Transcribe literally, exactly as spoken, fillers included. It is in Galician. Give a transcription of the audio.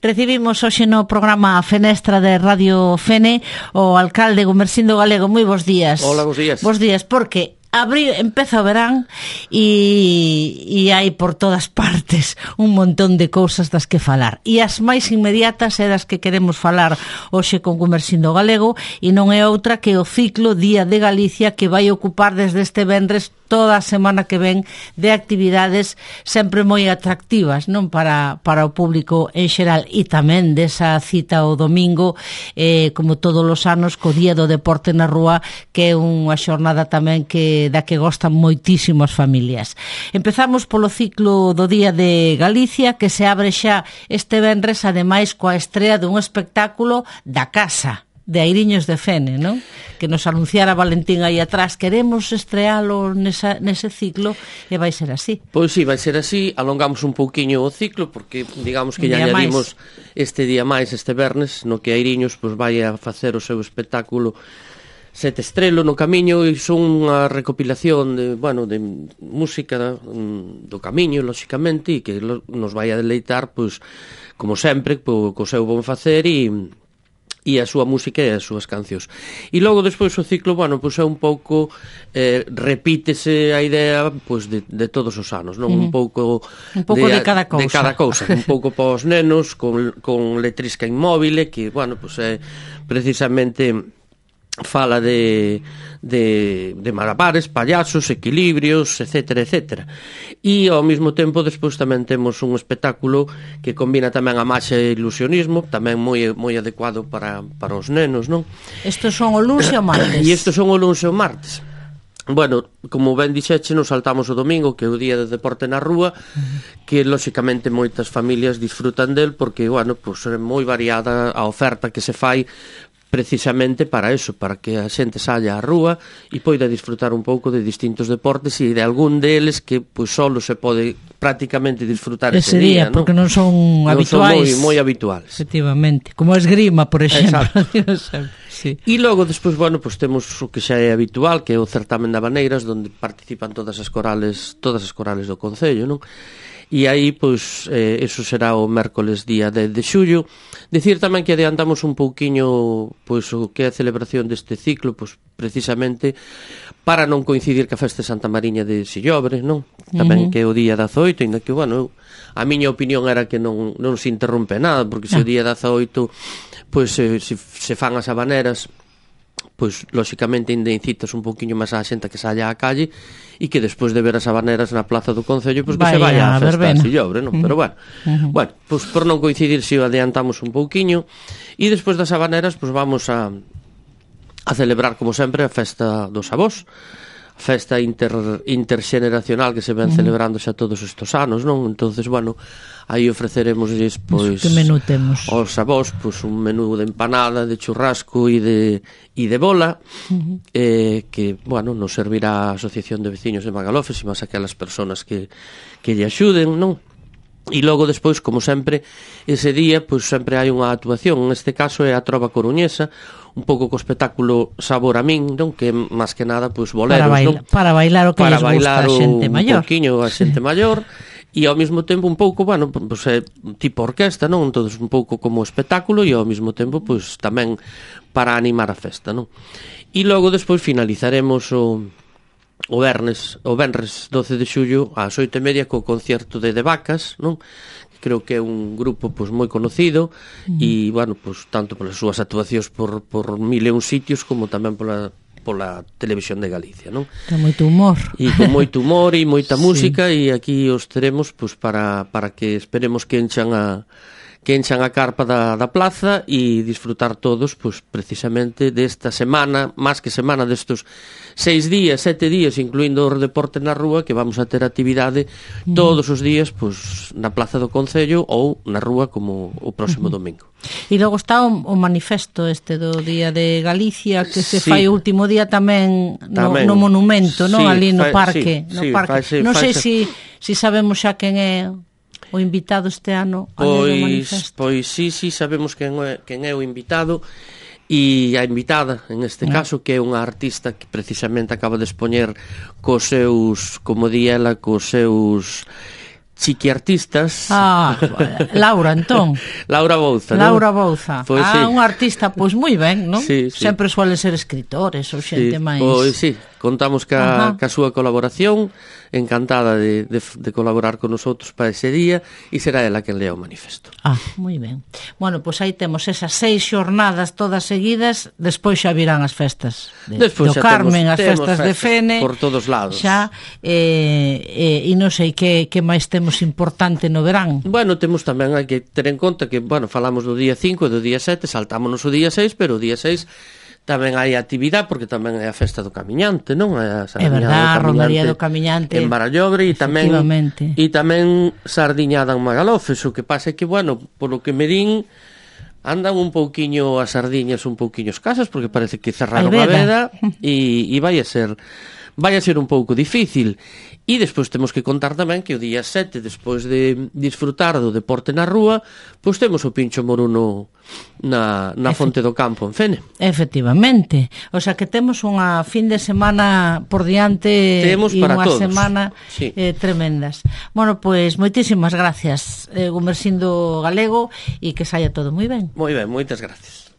Recibimos hoxe no programa Fenestra de Radio Fene o alcalde Gumersindo Galego. Moi bons días. Hola, bons días. Bons días, porque abril empeza o verán e, e hai por todas partes un montón de cousas das que falar. E as máis inmediatas é das que queremos falar hoxe con Gumersindo Galego, e non é outra que o ciclo Día de Galicia, que vai ocupar desde este venres toda a semana que ven de actividades sempre moi atractivas, non, para, para o público en xeral, e tamén desa cita o domingo, eh, como todos os anos, co Día do Deporte na Rúa, que é unha xornada tamén que da que gostan moitísimo as familias. Empezamos polo ciclo do Día de Galicia, que se abre xa este venres, ademais coa estrea dun espectáculo da casa de Airiños de Fene, non? Que nos anunciara Valentín aí atrás. Queremos estrealo nesa, nese ciclo, e vai ser así. Pois sí, vai ser así. Alongamos un pouquiño o ciclo, porque digamos que ya añadimos este día máis, este vernes, no que Airiños pois vai a facer o seu espectáculo Sete Estrelo no Camiño, e son unha recopilación de, bueno, de música do Camiño, lóxicamente, e que nos vai a deleitar, pois, como sempre, co, co seu bon facer e e a súa música e as súas cancións. E logo despois o ciclo, bueno, pois é un pouco eh, repítese a idea pois de, de todos os anos, non? Uh-huh. Un pouco un pouco de, de cada cousa. De cada cousa, un pouco para os nenos con, con letrisca inmóvil, que, bueno, pois é precisamente fala de, de, de malabares, payasos, equilibrios, etcétera, etcétera. E ao mesmo tempo despois tamén temos un espectáculo que combina tamén a maxia e ilusionismo, tamén moi moi adecuado para, para os nenos, non? Estos son o luns e o martes. E estos son o luns e o martes. Bueno, como ben dixeche, nos saltamos o domingo, que é o Día de Deporte na Rúa, que lóxicamente moitas familias disfrutan del, porque, bueno, pois é moi variada a oferta que se fai precisamente para eso, para que a xente saia á rúa e poida disfrutar un pouco de distintos deportes e de algún deles que pois solo se pode prácticamente disfrutar ese, ese día, día, porque non son non habituais. Son moi, moi habituales. Efectivamente, como a esgrima, por exemplo. Sí. E logo despois, bueno, pois temos o que xa é habitual, que é o certamen de habaneiras, onde participan todas as corales, todas as corales do concello, non? E aí, pois, eh, eso será o mércoles día dez de xullo. Dicir tamén que adiantamos un pouquiño, pois, o que é a celebración deste ciclo, pois, precisamente, para non coincidir ca festa de Santa Mariña de Sillobre, non? Tamén uh-huh. que é o día dezaoito, ainda que, bueno, a miña opinión era que non, non se interrompe nada, porque se o día dezaoito, pois, se, se, se fan as habaneras, pois, lóxicamente, ainda incitas un pouquiño máis á xente que saia á calle e que despois de ver as habaneras na plaza do Concello, pois que se vaya á festa de Sillobre, non? Uh-huh. Pero bueno, uh-huh. bueno, pois por non coincidir, se adiantamos un pouquiño, e despois das habaneras, pois vamos a a celebrar, como sempre, a festa dos avós, a festa inter, interxeneracional que se ven uh-huh. celebrando xa todos estes anos, non? Entonces, bueno, aí ofreceremosles, pois, que menú temos? Aos avós, pois, un menú de empanada, de churrasco e de, e de bola, uh-huh. eh, que, bueno, nos servirá a Asociación de Veciños de Magalofes e máis aquelas persoas que, que lle axuden, non? E logo despois, como sempre, ese día, pois sempre hai unha actuación, neste caso é a Trova Coruñesa, un pouco co espectáculo Sabor a min, non? Que máis que nada, pois, boleros, para baila, non? Para bailar o que para les gusta a xente maior. Un pouquiño a xente sí. maior, e ao mesmo tempo un pouco, bueno, pois é tipo orquesta, non? Entón, un pouco como espectáculo e ao mesmo tempo, pois, tamén para animar a festa, non? E logo despois finalizaremos o o vernes, o venres doce de xullo ás oito e media co concerto de De Vacas, non? Creo que é un grupo pois moi conocido e, uh-huh. bueno, pois tanto polas súas actuacións por, por mil e un sitios como tamén pola pola televisión de Galicia, non? Con moito humor. E con moito humor e moita sí. música, e aquí os teremos pois para, para que esperemos que enchan a que enchan a carpa da, da plaza e disfrutar todos, pois, precisamente desta semana, máis que semana destos seis días, sete días, incluindo o deporte na rúa, que vamos a ter actividade todos os días, pois, na plaza do Concello ou na rúa como o próximo uh-huh. domingo. E logo está o, o manifesto este do Día de Galicia, que se sí. fai o último día tamén, tamén. No, no monumento, sí, non? Ali no fa, parque. Sí, no sí, parque. Faise, non sei faise... se si, si sabemos xa quen é o invitado este ano ao manifesto. Pois sí, sí, sabemos quen é, quen é o invitado, e a invitada, en este eh. caso, que é unha artista que precisamente acaba de expoñer cos seus, como di ela, cos seus chiquiartistas. Ah, Laura, entón. Laura Bouza, Laura ¿no? Bouza. Pois ah, sí. un artista, pois moi ben, non? Sí, sí. Sempre suelen ser escritores ou xente Sí, máis... pois sí, contamos ca, Ajá. ca súa colaboración, encantada de, de, de colaborar con nosotros para ese día, e será ela quen lea o manifesto. Ah, moi ben. Bueno, pois aí temos esas seis xornadas todas seguidas, despois xa virán as festas de, Despois do xa Carmen, temos, as temos festas, de Fene. por todos lados. Xa, e, e, e non sei que, que máis temos importante no verán. Bueno, temos tamén, hai que ter en conta que, bueno, falamos do día cinco e do día sete, saltámonos o día seis, pero o día seis tamén hai actividade, porque tamén é a festa do Camiñante, non? É, a É verdad, a Romaría do Camiñante. En Barallobre, e tamén, Efectivamente. e tamén sardiñada en Magalofes, o que pasa é que, bueno, polo que me din, andan un pouquiño as sardiñas un pouquiño escasas, porque parece que cerraron a veda, e, e vai a ser... vai a ser un pouco difícil. E despois temos que contar tamén que o día sete, despois de disfrutar do deporte na rúa, pois temos o Pincho Moruno na, na Fonte do Campo en Fene. Efectivamente. O sea que temos unha fin de semana por diante e unha todos. semana Sí. eh, tremendas. Bueno, pois moitísimas gracias, eh, Gumersindo Galego, e que saia todo moi ben. Moi ben, moitas gracias.